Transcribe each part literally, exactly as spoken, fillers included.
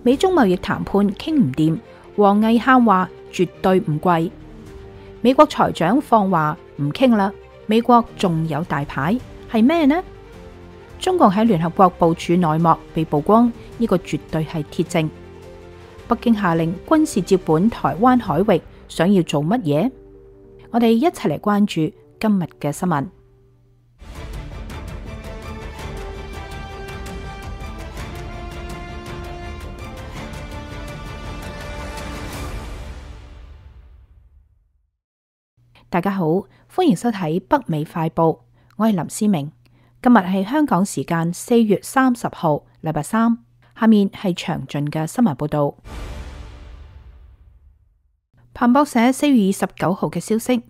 美中貿易談判傾唔掂，王毅喊話絕對唔跪。美國財長放話唔傾啦，美國仲有大牌係咩呢？中共喺聯合國部署內幕被曝光，呢個絕對係鐵證。北京下令軍事接管台灣海域，想要做乜嘢？我哋一齊嚟關注今日嘅新聞。大家好，歡迎收睇北美快報，我係林思明。今日係香港時間四月三十號，禮拜三。下面係詳盡嘅新聞報道。彭博社四月二十九號嘅消息，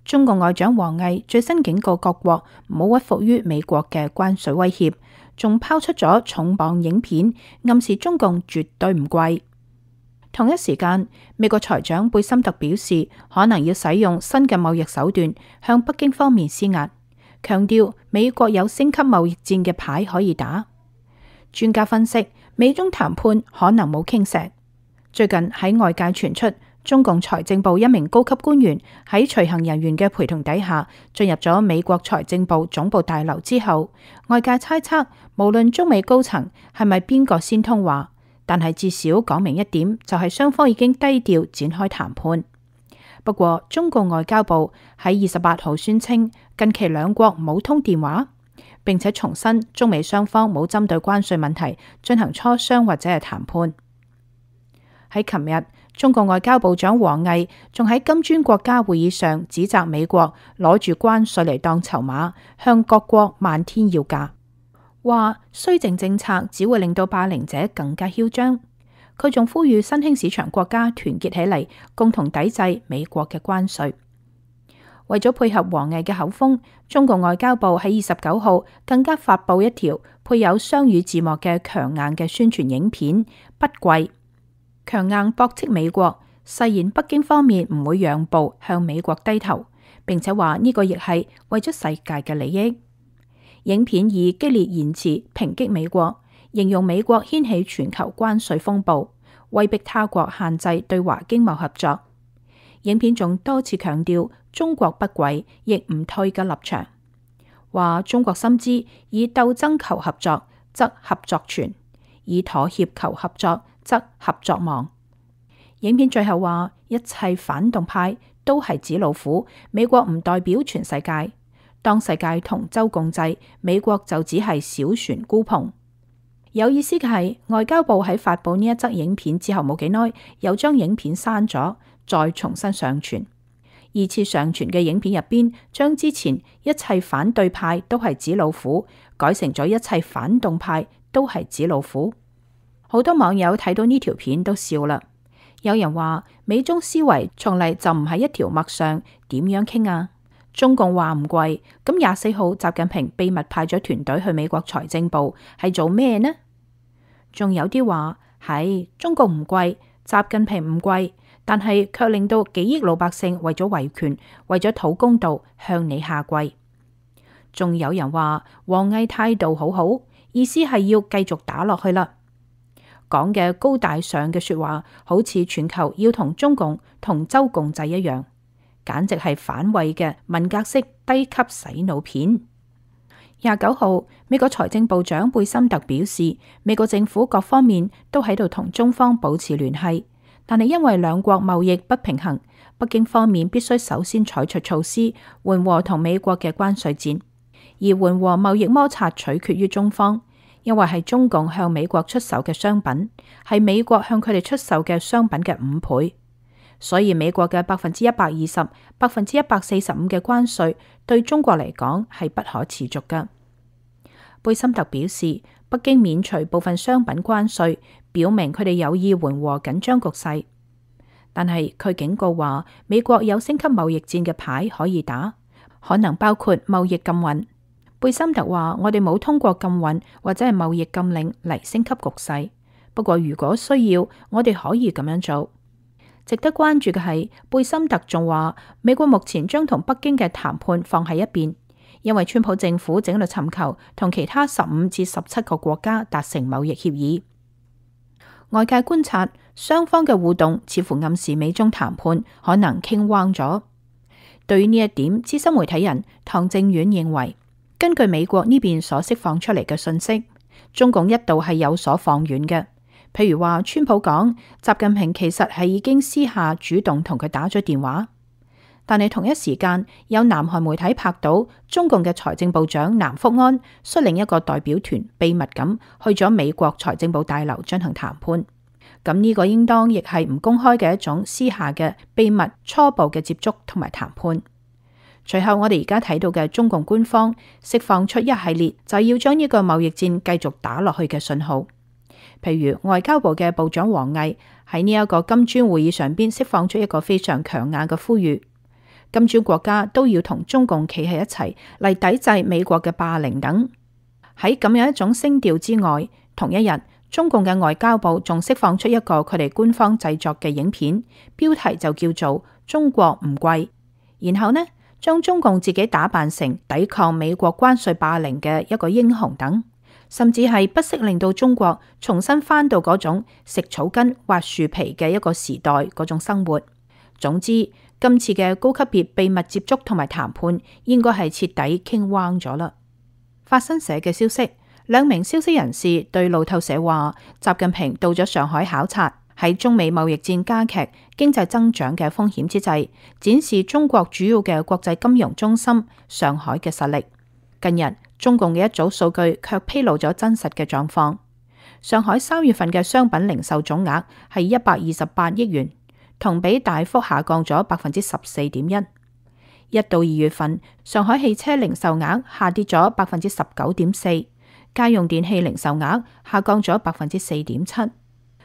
中國外長王毅最新警告各國唔好屈服於美國嘅關稅威脅，仲拋出咗重磅影片，暗示中共絕對唔跪。同一時間，美國財長貝森特表示，可能要使用新嘅貿易手段向北京方面施壓，強調美國有升級貿易戰嘅牌可以打。專家分析，美中談判可能冇傾石。最近喺外界傳出，中共財政部一名高級官員喺隨行人員嘅陪同底下進入咗美國財政部總部大樓之後，外界猜測，無論中美高層係咪邊個先通話，但係至少講明一點，就係雙方已經低調展開談判。不過，中共外交部喺二十八號宣稱，近期兩國冇通電話，並且重申中美雙方冇針對關稅問題進行磋商或者係談判。喺琴日，中國外交部長王毅仲喺金磚國家會議上指責美國攞住關稅嚟當籌碼，向各國漫天要價。話綏靖政策只會令到霸凌者更加囂張。佢仲呼籲新興市場國家團結起嚟，共同抵制美國嘅關稅。為咗配合王毅嘅口風，中國外交部喺二十九號更加發佈一條配有雙語字幕嘅強硬嘅宣傳影片，不跪，強硬駁斥美國，誓言北京方面唔會讓步向美國低頭，並且話呢個亦係為咗世界嘅利益。影片以激烈言辭抨擊美國，形容美國掀起全球關稅風暴，威逼他國限制對華經貿合作。影片仲多次強調中國不跪亦唔退嘅立場，話中國深知以鬥爭求合作則合作存，以妥協求合作則合作亡。影片最後話，一切反動派都係紙老虎，美國唔代表全世界。當世界同舟共濟，美國就只係小船孤篷。有意思嘅係，外交部喺發佈呢一則影片之後冇幾耐，又將影片刪咗，再重新上傳。二次上傳嘅影片入邊，將之前一切反對派都係紙老虎，改成咗一切反動派都係紙老虎。好多網友睇到呢條片都笑啦。有人話美中思維從嚟就唔係一條脈上，點樣傾啊？中共話唔跪，咁廿四號習近平秘密派咗團隊去美國財政部係做咩呢？仲有啲話係中共唔跪，習近平唔跪，但係卻令到幾億老百姓為咗維權、為咗討公道向你下跪。仲有人話王毅態度好好，意思係要繼續打落去啦。講嘅高大上嘅說話，好似全球要同中共同舟共濟一樣。簡直係反胃嘅文革式低級洗腦片。廿九號，美國財政部長貝森特表示，美國政府各方面都喺度同中方保持聯繫，但係因為兩國貿易不平衡，北京方面必須首先採取措施緩和同美國嘅關稅戰，而緩和貿易摩擦取決於中方，因為係中共向美國出售嘅商品係美國向佢哋出售嘅商品嘅五倍。所以美國嘅百分之一百二十、百分之一百四十五嘅關稅對中國嚟講係不可持續㗎。貝森特表示，北京免除部分商品關稅，表明佢哋有意緩和緊張局勢。但係佢警告話，美國有升級貿易戰嘅牌可以打，可能包括貿易禁運。貝森特話：我哋冇通過禁運或者係貿易禁令嚟升級局勢，不過如果需要，我哋可以咁樣做。值得關注嘅係，貝森特仲話，美國目前將同北京嘅談判放喺一邊，因為川普政府正喺度尋求同其他十五至十七個國家達成貿易協議。外界觀察，雙方嘅互動似乎暗示美中談判可能傾彎咗。對於呢一點，資深媒體人唐正遠認為，根據美國呢邊所釋放出嚟嘅信息，中共一度係有所放軟嘅。譬如話，川普講習近平其實係已經私下主動同佢打咗電話，但係同一時間有南韓媒體拍到中共嘅財政部長南福安率領一個代表團秘密咁去咗美國財政部大樓進行談判。咁呢個應當亦係唔公開嘅一種私下嘅秘密初步嘅接觸同埋談判。隨後我哋而家睇到嘅中共官方釋放出一系列就要將呢個貿易戰繼續打落去嘅信號。譬如外交部嘅部長王毅喺呢一個金磚會議上邊釋放出一個非常強硬嘅呼籲，金磚國家都要同中共企喺一齊嚟抵制美國嘅霸凌等。喺咁樣一種聲調之外，同一日中共嘅外交部仲釋放出一個佢哋官方製作嘅影片，標題就叫做《中國唔跪》，然後呢將中共自己打扮成抵抗美國關稅霸凌嘅一個英雄等。甚至係不惜令到中國重新返到嗰種食草根、挖樹皮嘅一個時代嗰種生活。總之，今次嘅高級別秘密接觸同埋談判，應該係徹底傾彎咗啦。法新社嘅消息，兩名消息人士對路透社話，習近平到咗上海考察，喺中美貿易戰加劇、經濟增長嘅風險之際，展示中國主要嘅國際金融中心上海嘅實力。近日，中共嘅一組數據卻披露咗真實嘅狀況。上海三月份嘅商品零售總額係一百二十八億元，同比大幅下降咗百分之十四點一。一到二月份，上海汽車零售額下跌咗百分之十九點四，家用電器零售額下降咗百分之四點七。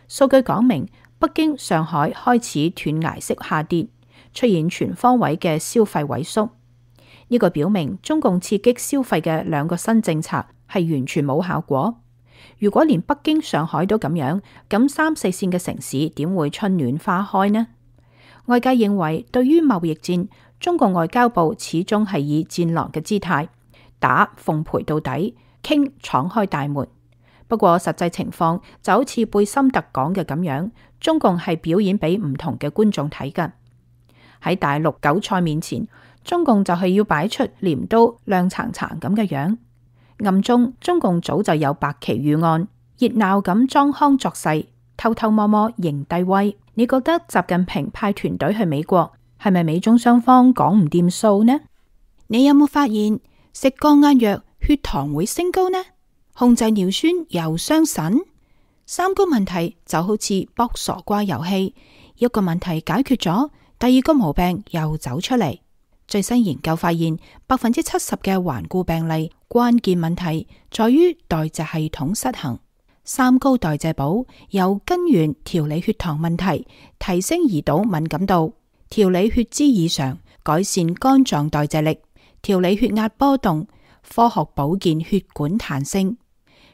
數據講明，北京、上海開始斷崖式下跌，出現全方位嘅消費萎縮。呢個表明中共刺激消費嘅兩個新政策係完全冇效果。如果連北京、上海都咁樣，咁三四線嘅城市點會春暖花開呢？外界認為，對於貿易戰，中共外交部始終係以戰狼嘅姿態，打奉陪到底，傾敞開大門。不過實際情況就好似貝森特講嘅咁樣，中共係表演俾唔同嘅觀眾睇㗎。喺大陸韭菜面前，中共就係要擺出鐮刀亮橙橙咁嘅樣，暗中中共早就有白旗預案，熱鬧咁裝腔作勢，偷偷摸摸認低威。你覺得習近平派團隊去美國，係咪美中雙方講唔掂數呢？你有冇發現食降壓藥血糖會升高呢？控制尿酸又傷腎？三個問題就好似卜傻瓜遊戲，一個問題解決咗，第二個毛病又走出嚟。最新研究發現，百分之七十嘅頑固病例關鍵問題在於代謝系統失衡。三高代謝寶由根源調理血糖問題，提升胰島敏感度，調理血脂異常，改善肝臟代謝力，調理血壓波動，科學保健血管彈性，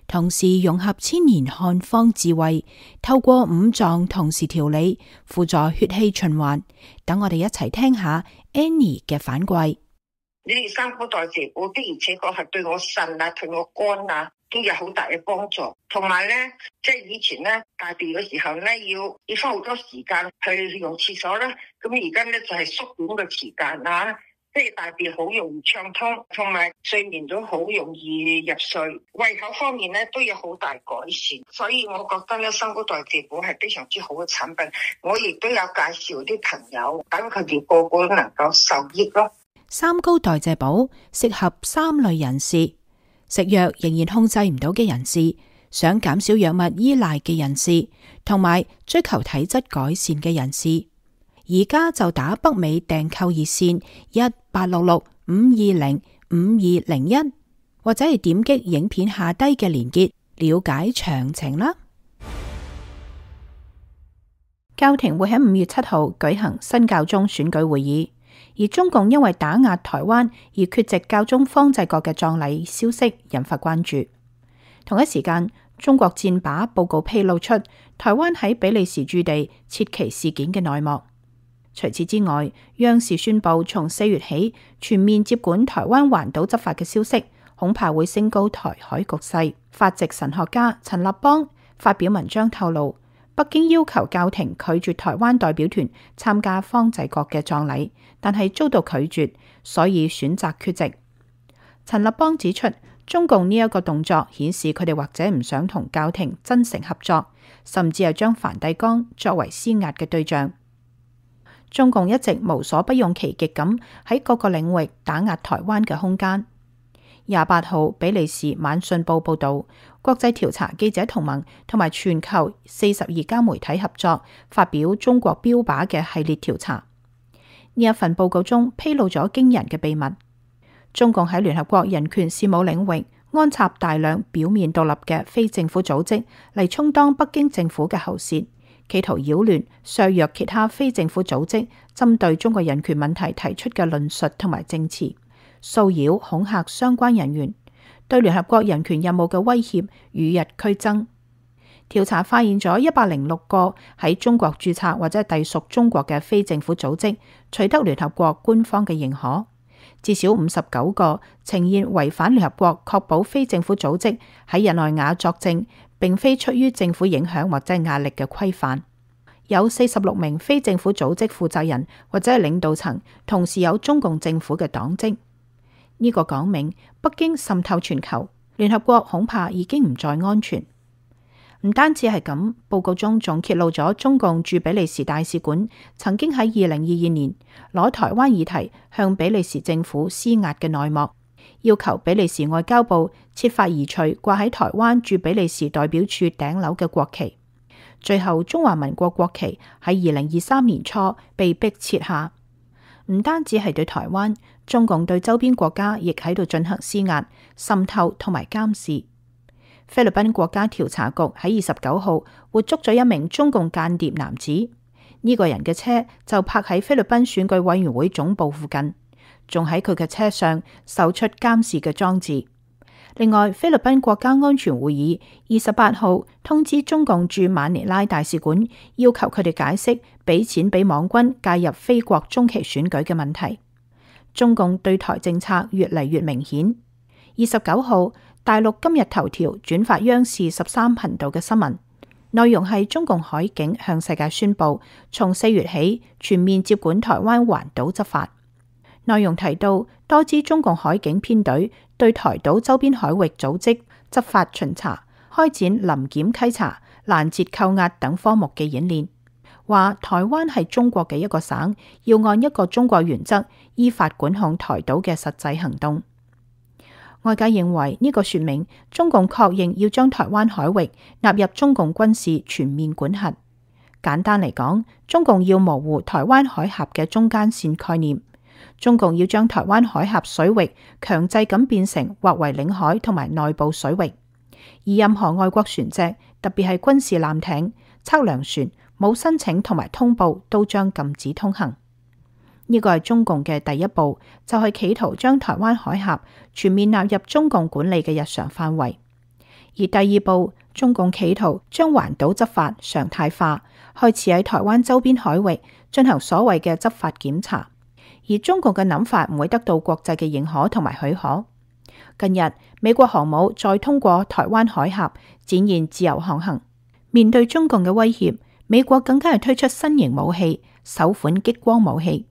同時融合千年漢方智慧，透過五臟同時調理，輔助血氣循環。等我哋一齊聽下 Annie 嘅反饋。你哋三高代謝寶的而且確係對我腎啊、對我肝啊都有好大嘅幫助。同埋咧，即係以前咧大便嘅時候咧，要要花好多時間去用廁所啦。咁而家咧就係縮短嘅時間啊。即係大便好容易暢通，同埋睡眠都好容易入睡，胃口方面咧都有好大改善，所以我覺得咧三高代謝寶係非常之好嘅產品。我亦都有介紹啲朋友，等佢哋個個都能夠受益咯。三高代謝寶適合三類人士：食藥仍然控制唔到嘅人士，想減少藥物依賴嘅人士，同埋追求體質改善嘅人士。而家就打北美訂購熱線一八六六五二零五二零一，或者係點擊影片下低嘅連結了解詳情啦。教廷會喺五月七號舉行新教宗選舉會議，而中共因為打壓台灣而缺席教宗方濟各嘅葬禮消息引發關注。同一時間，中國戰靶報告披露出台灣喺比利時駐地撤旗事件嘅內幕。除此之外，央視宣布從四月起全面接管台灣環島執法嘅消息，恐怕會升高台海局勢。法籍神學家陳立邦發表文章透露，北京要求教廷拒絕台灣代表團參加方濟各嘅葬禮，但係遭到拒絕，所以選擇缺席。陳立邦指出，中共呢一個動作顯示佢哋或者唔想同教廷真誠合作，甚至係將梵蒂岡作為施壓嘅對象。中共一直無所不用其極咁喺各個領域打壓台灣嘅空間。廿八號，比利時晚信報報道，國際調查記者同盟同埋全球四十二家媒體合作，發表中國標靶嘅系列調查。呢一份報告中披露咗驚人嘅秘密：中共喺聯合國人權事務領域安插大量表面獨立嘅非政府組織嚟充當北京政府嘅喉舌，企圖擾亂、削弱其他非政府組織針對中國人權問題提出嘅論述同埋證詞，騷擾、恐嚇相關人員，對聯合國人權任務嘅威脅與日俱增。調查發現咗一百零六個喺中國註冊或者隸屬中國嘅非政府組織取得聯合國官方嘅認可，至少五十九個呈現違反聯合國確保非政府組織喺日內瓦作證，並非出於政府影響或者壓力嘅規範。有四十六名非政府組織負責人或者係領導層同時有中共政府嘅黨職。呢個講明北京滲透全球，聯合國恐怕已經唔再安全。唔單止係咁，報告中仲揭露咗中共駐比利時大使館曾經喺二零二二年攞台灣議題向比利時政府施壓嘅內幕，要求比利時外交部設法移除掛喺台灣駐比利時代表處頂樓嘅國旗。最後，中華民國國旗喺二零二三年初被迫撤下。唔單止係對台灣，中共對周邊國家亦喺度進行施壓、滲透同埋監視。菲律賓國家調查局喺二十九號活捉咗一名中共間諜男子，呢、這個人嘅車就泊喺菲律賓選舉委員會總部附近，仲喺佢嘅車上搜出監視嘅裝置。另外，菲律賓國家安全會議二十八號通知中共駐馬尼拉大使館，要求佢哋解釋俾錢俾網軍介入菲國中期選舉嘅問題。中共對台政策越嚟越明顯。二十九號，大陸今日頭條轉發央視十三頻道嘅新聞，內容係中共海警向世界宣布，從四月起全面接管台灣環島執法。內容提到，多支中共海警編隊對台島周邊海域組織執法巡查，開展臨檢稽查、攔截扣押等科目嘅演練。話台灣係中國嘅一個省，要按一個中國原則依法管控台島嘅實際行動。外界認為呢個說明中共確認要將台灣海域納入中共軍事全面管轄。簡單嚟講，中共要模糊台灣海峽嘅中間線概念，中共要將台灣海峽水域強制咁變成劃為領海同埋內部水域，而任何外國船隻，特別係軍事艦艇、測量船，冇申請同埋通報都將禁止通行。呢個係中共嘅第一步，就係企圖將台灣海峽全面納入中共管理嘅日常範圍。而第二步，中共企圖將環島執法常態化，開始喺台灣周邊海域進行所謂嘅執法檢查。而中共嘅諗法唔會得到國際嘅認可同埋許可。近日，美國航母再通過台灣海峽，展現自由航行。面對中共嘅威脅，美國更加係推出新型武器，首款激光武器。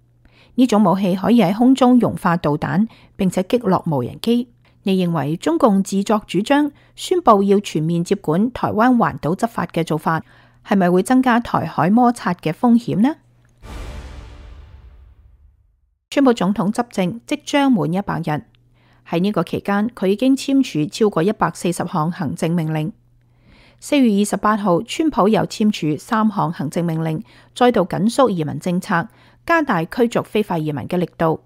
呢種武器可以喺空中融化導彈，並且擊落無人機。你認為中共自作主張宣布要全面接管台灣環島執法嘅做法，係咪會增加台海摩擦嘅風險呢？川普總統執政即將滿一百日，喺呢個期間，佢已經簽署超過一百四十項行政命令。四月二十八號，川普又簽署三項行政命令，再度緊縮移民政策，加大驅逐非法移民嘅力度，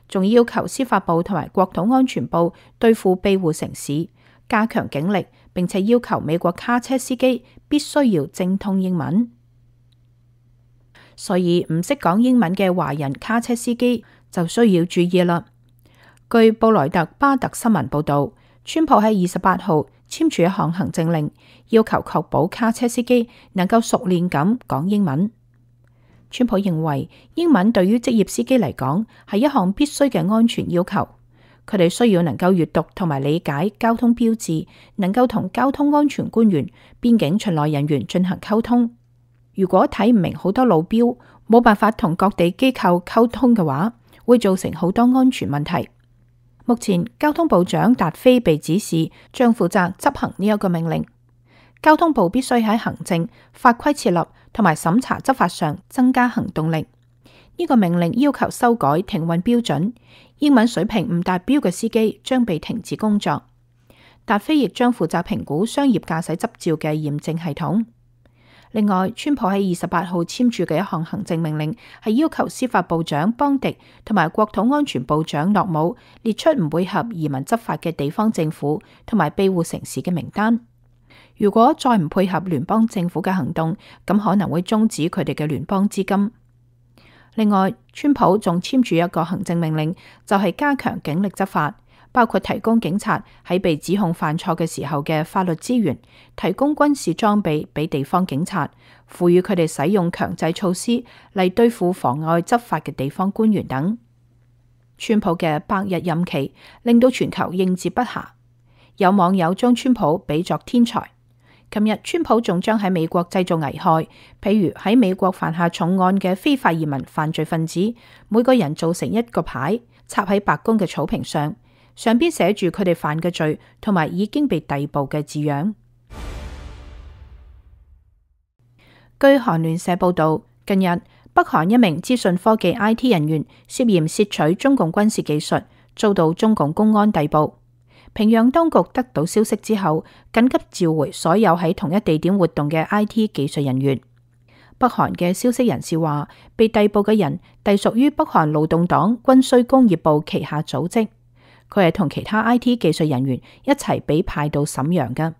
仲要求司法部同埋國土安全部對付庇護城市，加強警力，並且要求美國卡車司機必須要精通英文。所以唔識講英文嘅華人卡車司機就需要注意啦。據布萊特巴特新聞報道，川普喺二十八號簽署一項行政令，要求確保卡車司機能夠熟練咁講英文。川普認為英文對於職業司機嚟講係一項必須嘅安全要求。佢哋需要能夠閱讀同埋理解交通標誌，能夠同交通安全官員、邊境巡邏人員進行溝通。如果睇唔明好多路標，冇辦法同各地機構溝通嘅話，會造成好多安全問題。目前交通部長達菲被指示將負責執行呢一個命令。交通部必須喺行政、法規設立同埋審查執法上增加行動力。呢個命令要求修改停運標準，英文水平唔達標嘅司機將被停止工作。達菲亦將負責評估商業駕駛執照嘅驗證系統。另外，川普喺二十八號簽署嘅一項行政命令係要求司法部長邦迪同埋國土安全部長諾姆列出唔配合移民執法嘅地方政府同埋庇護城市嘅名單。如果再唔配合聯邦政府嘅行動，咁可能會終止佢哋嘅聯邦資金。另外，川普仲簽署一個行政命令，就係加強警力執法，包括提供警察喺被指控犯錯嘅時候嘅法律資源，提供軍事裝備俾地方警察，賦予佢哋使用強制措施嚟對付妨礙執法嘅地方官員等。川普嘅百日任期令到全球應接不暇，有網友將川普比作天才。琴日，川普仲將喺美國製造危害，譬如喺美國犯下重案嘅非法移民犯罪分子，每個人做成一個牌，插喺白宮嘅草坪上，上邊寫住佢哋犯嘅罪同埋已經被逮捕嘅字樣。據韓聯社報道，近日北韓一名資訊科技 I T 人員涉嫌竊取中共軍事技術，遭到中共公安逮捕。平壤當局得到消息之後，緊急召回所有喺同一地點活動嘅 I T 技術人員。北韓嘅消息人士話，被逮捕嘅人隸屬於北韓勞動黨軍需工業部旗下組織，佢係同其他 I T 技術人員一齊被派到瀋陽嘅。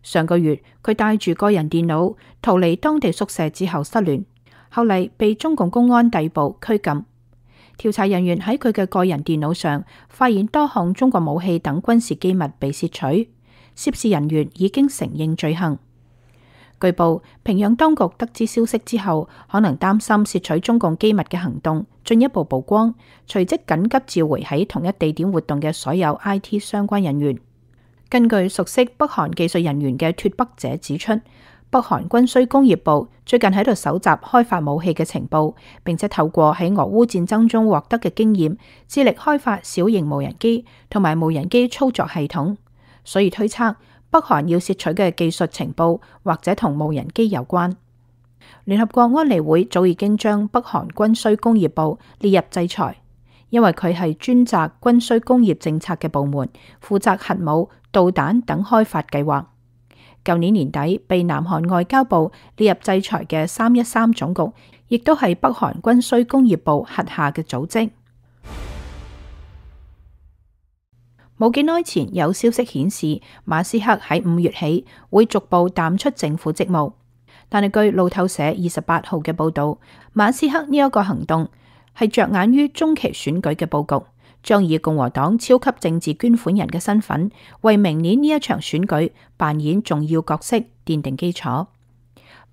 上個月，佢帶住個人電腦逃離當地宿舍之後失聯，後嚟被中共公安逮捕拘禁。調查人員喺佢嘅個人電腦上發現多項中國武器等軍事機密被竊取，涉事人員已經承認罪行。據報，平壤當局得知消息之後，可能擔心竊取中共機密嘅行動進一步曝光，隨即緊急召回喺同一地點活動嘅所有 I T 相關人員。根據熟悉北韓技術人員嘅脫北者指出，北韓軍需工業部最近喺度搜集開發武器嘅情報，並且透過喺俄烏戰爭中獲得嘅經驗，致力開發小型無人機同埋無人機操作系統。所以推測北韓要竊取嘅技術情報或者同無人機有關。聯合國安理會早已經將北韓軍需工業部列入制裁，因為佢係專責軍需工業政策嘅部門，負責核武、導彈等開發計劃。舊年年底被南韓外交部列入制裁嘅三一三總局，亦都係北韓軍需工業部轄下嘅組織。冇幾耐前有消息顯示，馬斯克喺五月起會逐步淡出政府職務，但係據路透社二十八號嘅報道，馬斯克呢一個行動係着眼於中期選舉嘅佈局，將以共和黨超級政治捐款人嘅身份，為明年呢一場選舉扮演重要角色，奠定基礎。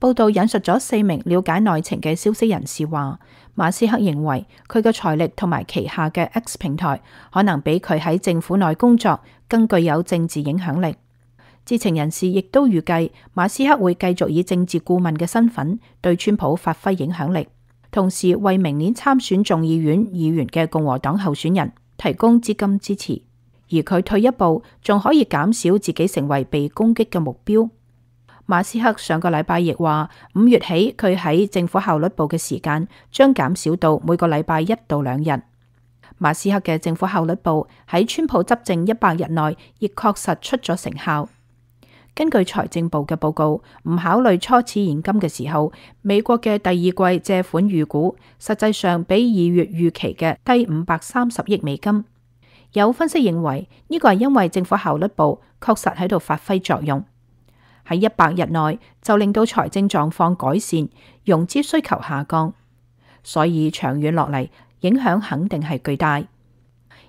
報道引述咗四名了解內情嘅消息人士話，馬斯克認為佢嘅財力同埋旗下嘅 X 平台可能比佢喺政府內工作更具有政治影響力。知情人士亦都預計馬斯克會繼續以政治顧問嘅身份對川普發揮影響力，同時為明年參選眾議院議員嘅共和黨候選人提供資金支持，而佢退一步仲可以減少自己成為被攻擊嘅目標。馬斯克上個禮拜亦話，五月起佢喺政府效率部嘅時間將減少到每個禮拜一到兩日。馬斯克嘅政府效率部喺川普執政一百日內亦確實出咗成效。根據財政部嘅報告，唔考慮初始現金嘅時候，美國嘅第二季借款預估實際上比二月預期嘅低五百三十億美金。有分析認為呢個係因為政府效率部確實喺度發揮作用，喺一百日內就令到財政狀況改善，融資需求下降，所以長遠落嚟影響肯定係巨大。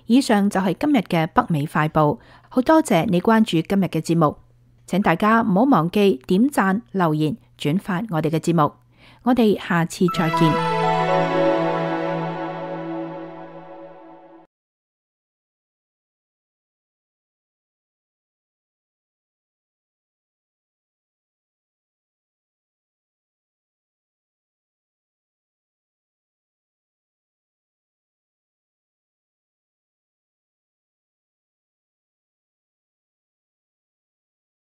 以上就係今日嘅北美快報，好多謝你關注今日嘅節目，請大家唔好忘記點讚、留言、轉發我哋嘅節目，我哋下次再見。